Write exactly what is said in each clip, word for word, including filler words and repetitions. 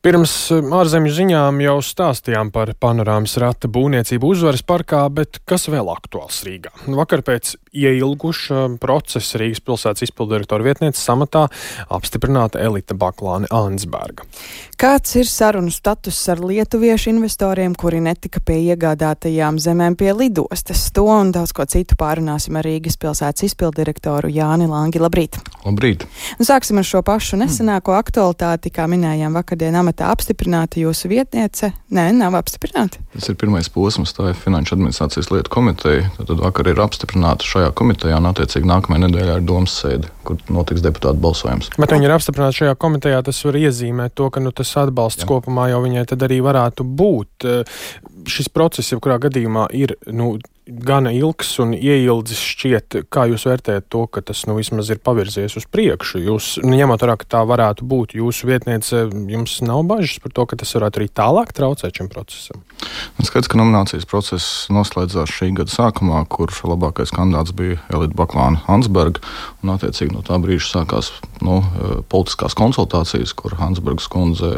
Pirms ārzemju ziņām jau stāstījām par panorāmas rata būvniecību Uzvaras parkā, bet kas vēl aktuāls Rīgā? Vakar pēc ieilguša procesa Rīgas pilsētas izpildirektora vietnieces amatā apstiprināta Elita Baklāne-Ansberga. Kāds ir sarunu status ar lietuviešu investoriem, kuri netika pie iegādātajām zemēm pie lidostas? To un daudz ko citu pārunāsim ar Rīgas pilsētas izpildirektoru Jāni Langi. Labrīt! Labrīt! Un sāksim ar šo pašu nesenāko aktualitāti, kā minējām vakardien amatā apstiprināta jūsu vietniece. Nē, nav apstiprināta. Tas ir pirmais posms, tā ir Finanšu administrācijas lietu komiteja. Tad vakar ir apstiprināta šajā komitejā un attiecīgi nākamajā nedēļā ir domas sēde, kur notiks deputātu balsojums. Bet viņi ir apstiprināti šajā komitejā, tas var iezīmēt to, ka nu, tas atbalsts Jā. kopumā jau viņai tad arī varētu būt. Šis process, jau kurā gadījumā ir, nu, gana ilgs un ieildzis šķiet, kā jūs vērtējat to, ka tas nu vismaz ir pavirzies uz priekšu. Jūs, nu, ņemot vērā, ka tā varētu būt jūsu vietniece, jums nav bažas par to, ka tas varētu arī tālāk traucēt šim procesam? Skaidrs, ka nominācijas process noslēdzās šī gada sākumā, kur labākais kandidāts bija Elita Baklāne-Ansberga, un attiecīgi no tā brīža sākās nu, politiskās konsultācijas, kur Ansbergas kundze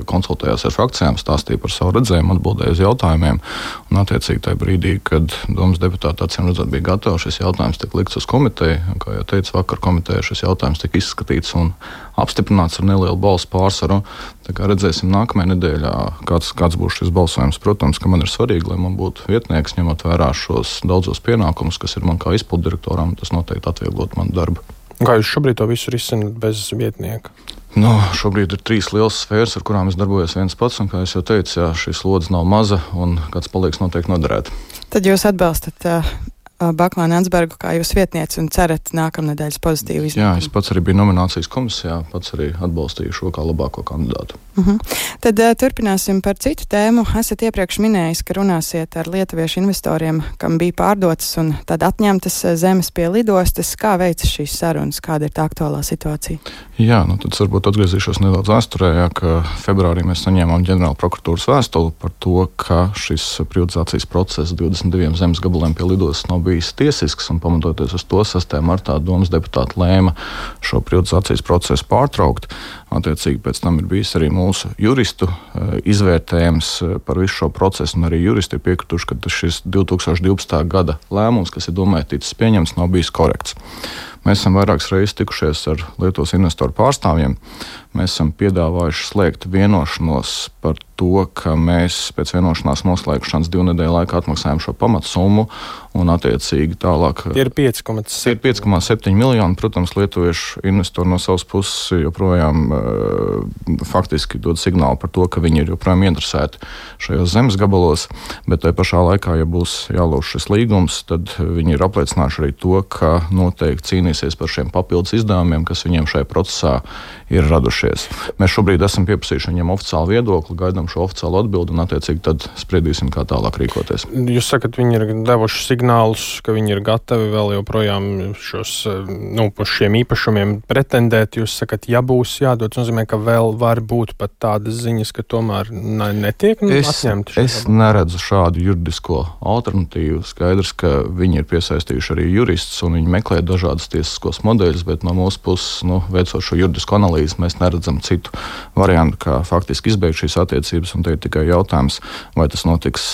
konsultējās ar frakcijām, stāstīja par savu redzējumu, atbildēja uz jautājumiem, un attiecīgi tajā brīdī, kad domas deputāti acīm redzot bija gatavi, šis jautājums tika likts uz komiteju, un, kā jau teicu, vakar komitejā šis jautājums tika izskatīts un apstiprināts ar nelielu balsu pārsvaru. Tā kā redzēsim nākamajā nedēļā, kāds, kāds būs šis balsojums. Protams, ka man ir svarīgi, lai man būtu vietnieks, ņemot vērā šos daudzos pienākumus, kas ir man kā izpildirektoram, tas noteikti atvieglot manu darbu. Kā jūs šobrīd to visu risināt bez vietnieka? Nu, šobrīd ir trīs lielas sfēras, ar kurām es darbojos viens pats, un, kā es jau teicu, jā, šī slodze nav maza, un kāds palīgs noteikti noderēt. Tad jūs atbalstat uh, Baklāne-Ansbergu kā jūs vietnieci un cerat nākamnedēļas pozitīvu iznākumu? Jā, es pats arī biju nominācijas komisijā, pats arī atbalstīju šo kā labāko kandidātu. Uh-huh. Tad uh, turpināsim par citu tēmu. Esat iepriekš minējis, ka runāsiet ar lietuviešu investoriem, kam bija pārdotas un tad atņemtas zemes pie lidostas. Kā veicas šīs sarunas? Kāda ir tā aktuālā situācija? Jā, nu tad varbūt atgriezīšos nedaudz vēsturē, jā, ka februārī mēs saņēmām ģenerāla prokuratūras vēstuli par to, ka šis privatizācijas process divdesmit diviem zemes gabaliem pie lidostas nav bijis tiesisks, un pamatoties uz to sastajā martā domas deputāti lēma šo privatizācijas procesu pārtraukt. Attiecīgi pēc tam ir bijis arī mūsu juristu izvērtējums par visu šo procesu, un arī juristi ir piekrituši, ka šis divi tūkstoši divpadsmitā gada lēmums, kas ir domāts ticis pieņemts, nav bijis korekts. Mēs esam vairākas reizes tikušies ar Lietuvas investoru pārstāvjiem. Mēs esam piedāvājuši slēgt vienošanos par to, ka mēs pēc vienošanās noslēgšanas divu nedēļu laikā atmaksājam šo pamatsummu un attiecīgi tālāk. Tie ir pieci komats septiņi miljoni. Protams, lietuviešu investori no savas puses joprojām uh, faktiski dod signālu par to, ka viņi ir joprojām interesēti šajos zemes gabalos, bet tajā pašā laikā, ja būs jālauž šis līgums, tad viņi ir apliecinājuši arī to, ka noteikti cīnīsies par šiem papildus izdevumiem, kas viņiem šajā procesā ir radušies. Mēs šobrīd esam pieprasījuši viņiem oficiālu viedokli, gaidām šo oficiālu atbildi un attiecīgi tad spriedīsim, kā tālāk rīkoties. Jūs sakat, viņi ir devuši signālus, ka viņi ir gatavi vēl joprojām šos, nu, par šiem īpašumiem pretendēt. Jūs sakat, ja būs jādod, nozīmē, ka vēl var būt pat tādas ziņas, ka tomēr netiek nu, es, atņemti. Es labā. neredzu šādu juridisko alternatīvu. Skaidrs, ka viņi ir piesaistījuši arī juristus un viņi meklē dažādas tiesiskos modeļus, bet no mūsu puses, nu, veicot šo juridisku analīzi, mēs neredzam citu variantu, kā faktiski izbeigt šīs attiecības, un te ir tikai jautājums, vai tas notiks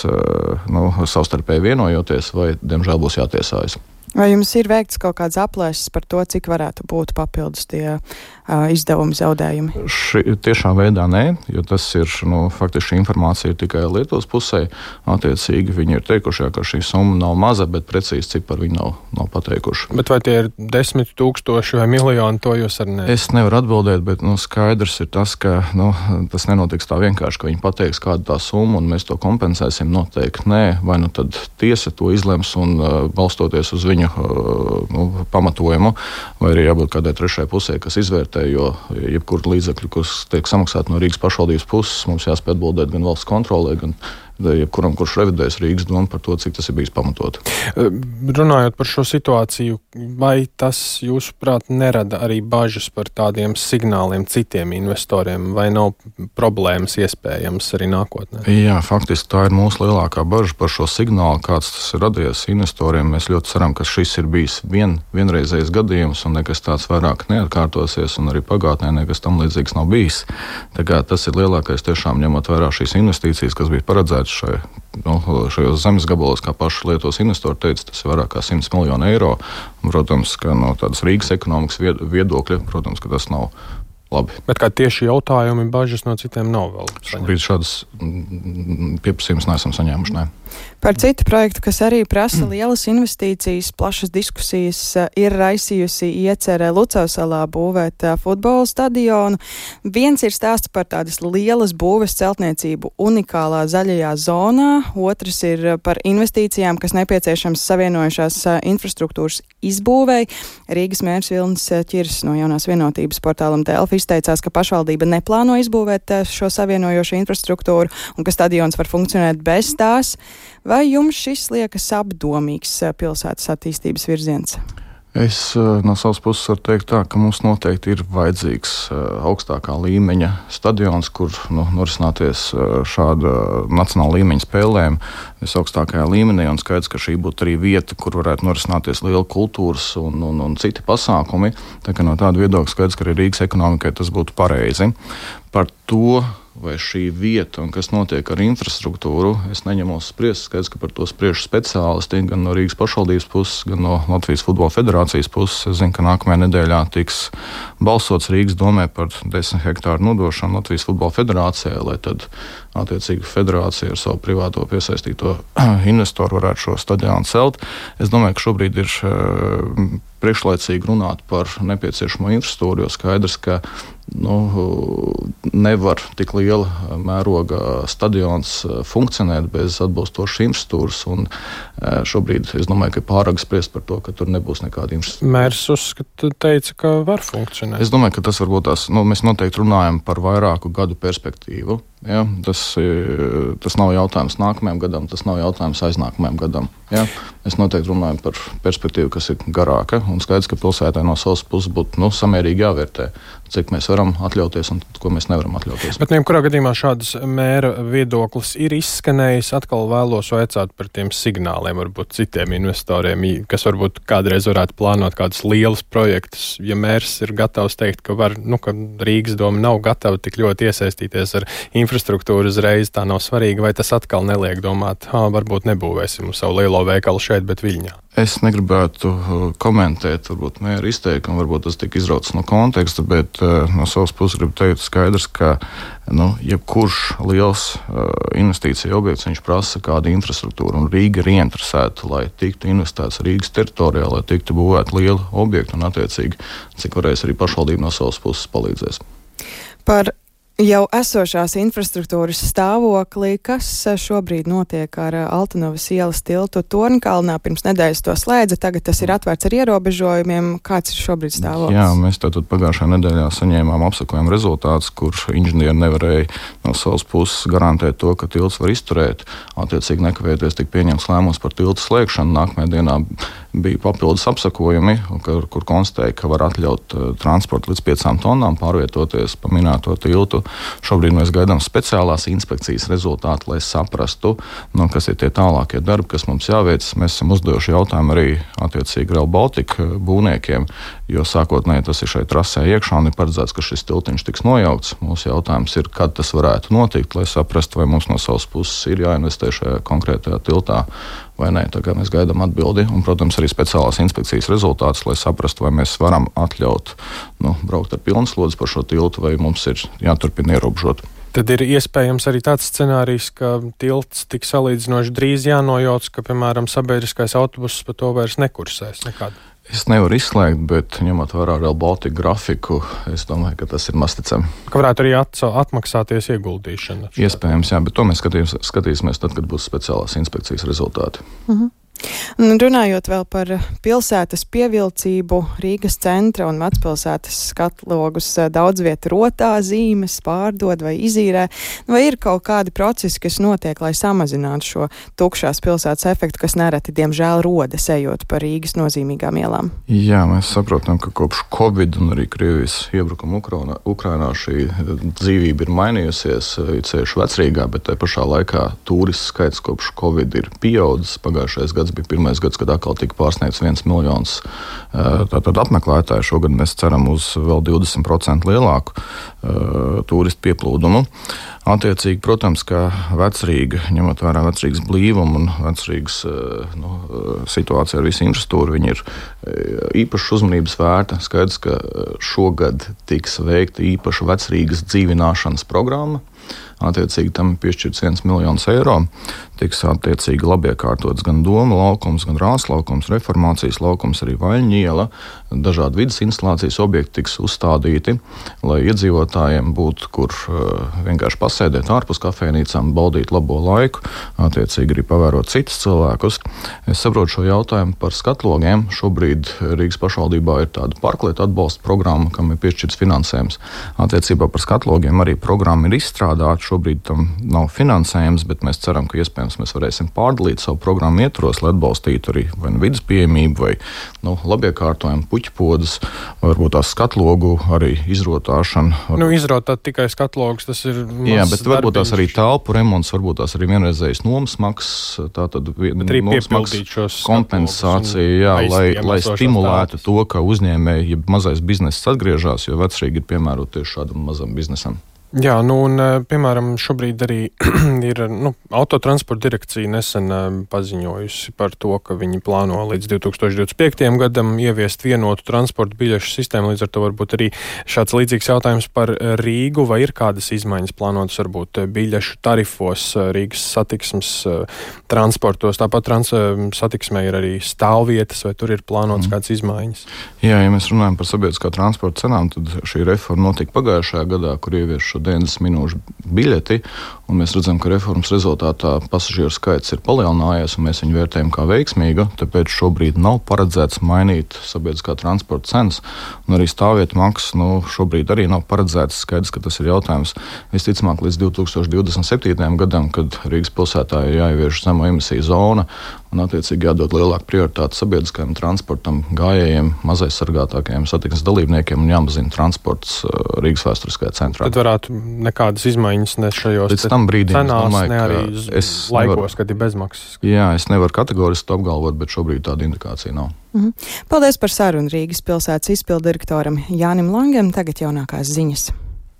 nu, savstarpēji vienojoties, vai, diemžēl, būs jātiesājas. Vai jums ir veikts kaut kāds aplēses par to, cik varētu būt papildus tie uh, izdevumi zaudējumi? Ši, tiešā veidā nē, jo tas ir, nu, faktiski šī informācija ir tikai Lietuvas pusē. Attiecīgi viņi ir teikuši, ka šī summa nav maza, bet precīzi ciparu viņi nav, nav pateikuši. Bet vai tie ir desmit tūkstoši vai miljoni, to jūs arī ne? Es nevaru atbildēt, bet, nu, skaidrs ir tas, ka, nu, tas nenotiks tā vienkārši, ka viņi pateiks, kāda tā summa un mēs to kompensēsim. Noteikti nē, vai nu tad tiesa to izlems un uh, balstoties uz viņu Nu, pamatojumu, vai arī jābūt kādai trešai pusē, kas izvērtē, jo jebkuru līdzekļu, kas tiek samaksāti no Rīgas pašvaldības puses, mums jāspēj atbildēt gan valsts kontrolē, gan jebkuram, kurš revidēs Rīgas domu par to, cik tas ir bijis pamatot. Runājot par šo situāciju, vai tas, jūsuprāt, nerada arī bažas par tādiem signāliem citiem investoriem, vai nav problēmas iespējams arī nākotnē? Jā, faktiski tā ir mūsu lielākā bažas par šo signālu, kāds tas ir radies investoriem. Mēs ļoti ceram, ka šis ir bijis vien, vienreizējs gadījums un nekas tāds vairāk neatkārtosies, un arī pagātnē nekas tam līdzīgs nav bijis. Tā kā tas ir lielākais tiešām ņemot vērā šīs investīcijas, kas bija paredzētas šai, nu, šajos zemes gabalos, kā paši Lietuvas investori teica, tas ir vairāk kā simts miljonu eiro. Protams, ka no tādas Rīgas ekonomikas viedokļa, protams, ka tas nav labi. Bet kā tieši jautājumi, bažas no citiem nav vēl saņemti? Šobrīd šādas pieprasījumus neesam saņēmuši, ne. Par citu projektu, kas arī prasa lielas investīcijas, plašas diskusijas, ir raisījusi iecerē Lucavsalā būvēt futbola stadionu. Viens ir stāsts par tādas lielas būves celtniecību unikālā zaļajā zonā, otrs ir par investīcijām, kas nepieciešams savienojušās infrastruktūras izbūvēi. Rīgas mērs Vilnis Ķirs no Jaunās vienotības portālam Delfi izteicās, ka pašvaldība neplāno izbūvēt šo savienojošo infrastruktūru un ka stadions var funkcionēt bez tās. Vai jums šis liekas apdomīgs pilsētas attīstības virziens? Es no savas puses varu teikt tā, ka mums noteikti ir vajadzīgs augstākā līmeņa stadions, kur nu, norisināties šāda nacionāla līmeņa spēlēm visaugstākajā līmenī, un skaidrs, ka šī būtu arī vieta, kur varētu norisināties liela kultūras un, un, un citi pasākumi. Tā kā no tāda viedokļa skaidrs, ka arī Rīgas ekonomikai tas būtu pareizi. Par to, vai šī vieta un kas notiek ar infrastruktūru, es neņemos spriest. Skaidrs, ka par to spriež speciālisti gan no Rīgas pašvaldības puses, gan no Latvijas Futbola Federācijas puses. Es zinu, ka nākamajā nedēļā tiks balsots Rīgas domē par desmit hektāru nodošanu Latvijas Futbola Federācijai, lai tad attiecīgi federācija ar savu privāto piesaistīto investoru varētu šo stadionu celt. Es domāju, ka šobrīd ir priekšlaicīgi runāt par nepieciešamo infrastruktūru, jo skaidrs, ka nu, nevar tik liela mēroga stadions funkcionēt bez atbilstošas infrastruktūras. Un šobrīd es domāju, ka ir pārāk spriest par to, ka tur nebūs nekāda infrastruktūra. Mērs uzskata, teica, ka var funkcionēt. Es domāju, ka tas varbūt tās, nu, mēs noteikti runājam par vairāku gadu perspektīvu. Ja, tas, tas nav jautājums nākamajam gadam, tas nav jautājums aiznākamajam gadam. Ja. Mēs noteikti runājam par perspektīvu, kas ir garāka, un skaidrs, ka pilsētai no savas puses būtu nu, samērīgi jāvērtē, cik mēs varam atļauties un ko mēs nevaram atļauties. Bet jebkurā gadījumā šādas mēra viedoklis ir izskanējis. Atkal vēlos vaicāt par tiem signāliem, varbūt citiem investoriem, kas varbūt kādreiz varētu plānot kādus lielus projektus. Ja mērs ir gatavs teikt, ka, var, nu, ka Rīgas doma nav gatava tik ļoti iesaistīties ar infrastruktūru uzreiz, tā nav svarīga, vai tas atkal neliek domāt, ha, varbūt nebūvēsim savu lielo veikalu šeit, bet Viļņā. Es negribētu komentēt, varbūt mēra izteikumu, varbūt tas tika izrauts no konteksta, bet uh, no savas puses gribu teikt skaidrs, ka nu, jebkurš liels uh, investīcija objekts, viņš prasa kādu infrastruktūru, un Rīga ir ieinteresēta, lai tiktu investēts Rīgas teritorijā, lai tiktu būvēt lielu objektu, un attiecīgi, cik varēs arī pašvaldība no savas puses palīdzēs. Par jau esošās infrastruktūras stāvoklī, kas šobrīd notiek ar Altanovas ielas tiltu Torņkalnā, pirms nedēļas to slēdza, tagad tas ir atvērts ar ierobežojumiem. Kāds ir šobrīd stāvoklis? Jā, mēs tātad pagājušajā nedēļā saņēmām apsekojumu rezultātus, kur inženieri nevarēja no savas puses garantēt to, ka tilts var izturēt. Attiecīgi nekavēties tika pieņemts lēmums par tiltu slēgšanu. Nākamajā dienā bija papildus apsakojumi, kur, kur konstatēja, ka var atļaut uh, transportu līdz piecām tonnām pārvietoties pa minēto tiltu. Šobrīd mēs gaidām speciālās inspekcijas rezultātu, lai saprastu, nu, kas ir tie tālākie darbi, kas mums jāveic. Mēs esam uzdevuši jautājumu arī attiecīgi Rail Baltica būvniekiem, jo sākotnēji tas ir šeit trasē iekšā un ir paredzēts, ka šis tiltiņš tiks nojaukts. Mūsu jautājums ir, kad tas varētu notikt, lai saprastu, vai mums no savas puses ir jāinvestē šajā konkrētajā tiltā vai nē. Tā kā mēs gaidām atbildi un, protams, arī speciālās inspekcijas rezultātus, lai saprastu, vai mēs varam atļaut nu, braukt ar pilnslodzi par šo tiltu, vai mums ir jāturpina ierobežot. Tad ir iespējams arī tāds scenārijs, ka tilts tik salīdzinoši drīz jānojauc, ka, piemēram, sabiedriskais autobuss pa to vairs nekursēs nekādu. Es nevaru izslēgt, bet ņemot vērā Rail Baltica grafiku, es domāju, ka tas ir masticami. Ka varētu arī atmaksāties ieguldīšana. Iespējams, jā, bet to mēs skatīs, skatīsimies tad, kad būs speciālās inspekcijas rezultāti. Mhm. Un runājot vēl par pilsētas pievilcību, Rīgas centra un vecpilsētas skatlogus daudz vietu rotā, zīmes pārdod vai izīrē, vai ir kaut kādi procesi, kas notiek, lai samazinātu šo tukšās pilsētas efektu, kas nereti, diemžēl, rodas ejot pa Rīgas nozīmīgām ielām? Jā, mēs saprotam, ka kopš Covid un arī Krievijas iebrukuma Ukrainā, Ukrainā šī dzīvība ir mainījusies, ceļš Vecrīgā, bet tajā pašā laikā turistu skaits kopš Covid ir pieaudzis. Pagājušais gads bija pirmais gads, kad atkal tika pārsniegts viens miljons tātad apmeklētāju. Šogad mēs ceram uz vēl divdesmit procenti lielāku uh, turistu pieplūdumu. Attiecīgi, protams, ka Vecrīga, ņemot vērā Vecrīgas blīvumu un Vecrīgas uh, nu, situācija ar visu infrastruktūru, viņi ir īpašas uzmanības vērta. Skaidrs, ka šogad tiks veikta īpaša Vecrīgas dzīvināšanas programma. Attiecīgi tam ir piešķirts viens miljons eiro. Tiks attiecīgi labi iekārtots gan Doma laukums, gan Rāzes laukums, Reformācijas laukums, arī Vaļņu iela. Dažādi vidas instalācijas objekti tiks uzstādīti, lai iedzīvotājiem būtu, kur uh, vienkārši pasēdēt ārpus kafejnīcām, baudīt labo laiku, attiecīgi arī pavērot citus cilvēkus. Es saprotu šo jautājumu par skatlogiem. Šobrīd Rīgas pašvaldībā ir tāda parklietu atbalsta programma, kam ir piešķirts finansējums. Attiecībā par skatlogiem arī programma ir izstrādāta. Šobrīd tam nav finansējums, bet mēs ceram, ka iespējams mēs varēsim pārdalīt savu programmu ietvaros, lai atbalstītu arī vai nu vidas pieejamību, vai nu, labiekārtojumu puķipodus, varbūt tās skatlogu arī izrotāšanu. Nu, izrotāt tikai skatlogus, tas ir Jā, bet varbūt tās arī telpu remonts, varbūt tās arī vienreizējas nomas maksas, tātad nomas maksas kompensācija, jā, lai, lai stimulētu to, ka uzņēmēji, ja mazais bizness atgriežas, jo Vecrīga ir piemērota tieši šādam mazam biznesam. Jā, nu un, piemēram, šobrīd arī ir nu, autotransporta direkcija nesen paziņojusi par to, ka viņi plāno līdz divi tūkstoši divdesmit piektajam gadam ieviest vienotu transporta biļešu sistēmu. Līdz ar to varbūt arī šāds līdzīgs jautājums par Rīgu, vai ir kādas izmaiņas plānotas varbūt biļešu tarifos Rīgas satiksmes transportos. Tāpat trans, satiksmē ir arī stāvvietas, vai tur ir plānotas mm. kādas izmaiņas? Jā, ja mēs runājam par sabiedriskā transporta cenām, tad šī reforma notika pagājušajā gadā, kur ievieš šo deviņdesmit minūšu biļeti, un mēs redzam, ka reformas rezultātā pasažieru skaits ir palielinājies, un mēs viņu vērtējam kā veiksmīgu, tāpēc šobrīd nav paredzēts mainīt sabiedriskā transporta cenas, un arī stāvvietu maksas, nu, šobrīd arī nav paredzēts. Skaidrs, ka tas ir jautājums visticamāk līdz divi tūkstoši divdesmit septītajam gadam, kad Rīgas pilsētā ir jāievieš zemo emisiju zona, un attiecīgi jādod lielāku prioritāti sabiedriskajam transportam, gājējiem, mazais sargātākajiem satiksmes dalībniekiem un jāmazina transports Rīgas vēsturiskajā centrā. Tad varētu nekādas izmaiņas ne šajos Līdz tam brīdim, cenās, domāju, ne arī es laikos, nevaru, kad ir bezmaksas. Jā, es nevaru kategoriski to apgalvot, bet šobrīd tāda indikācija nav. Mhm. Paldies par sarunu Rīgas pilsētas izpildirektoram Jānim Langam. Tagad jaunākās ziņas.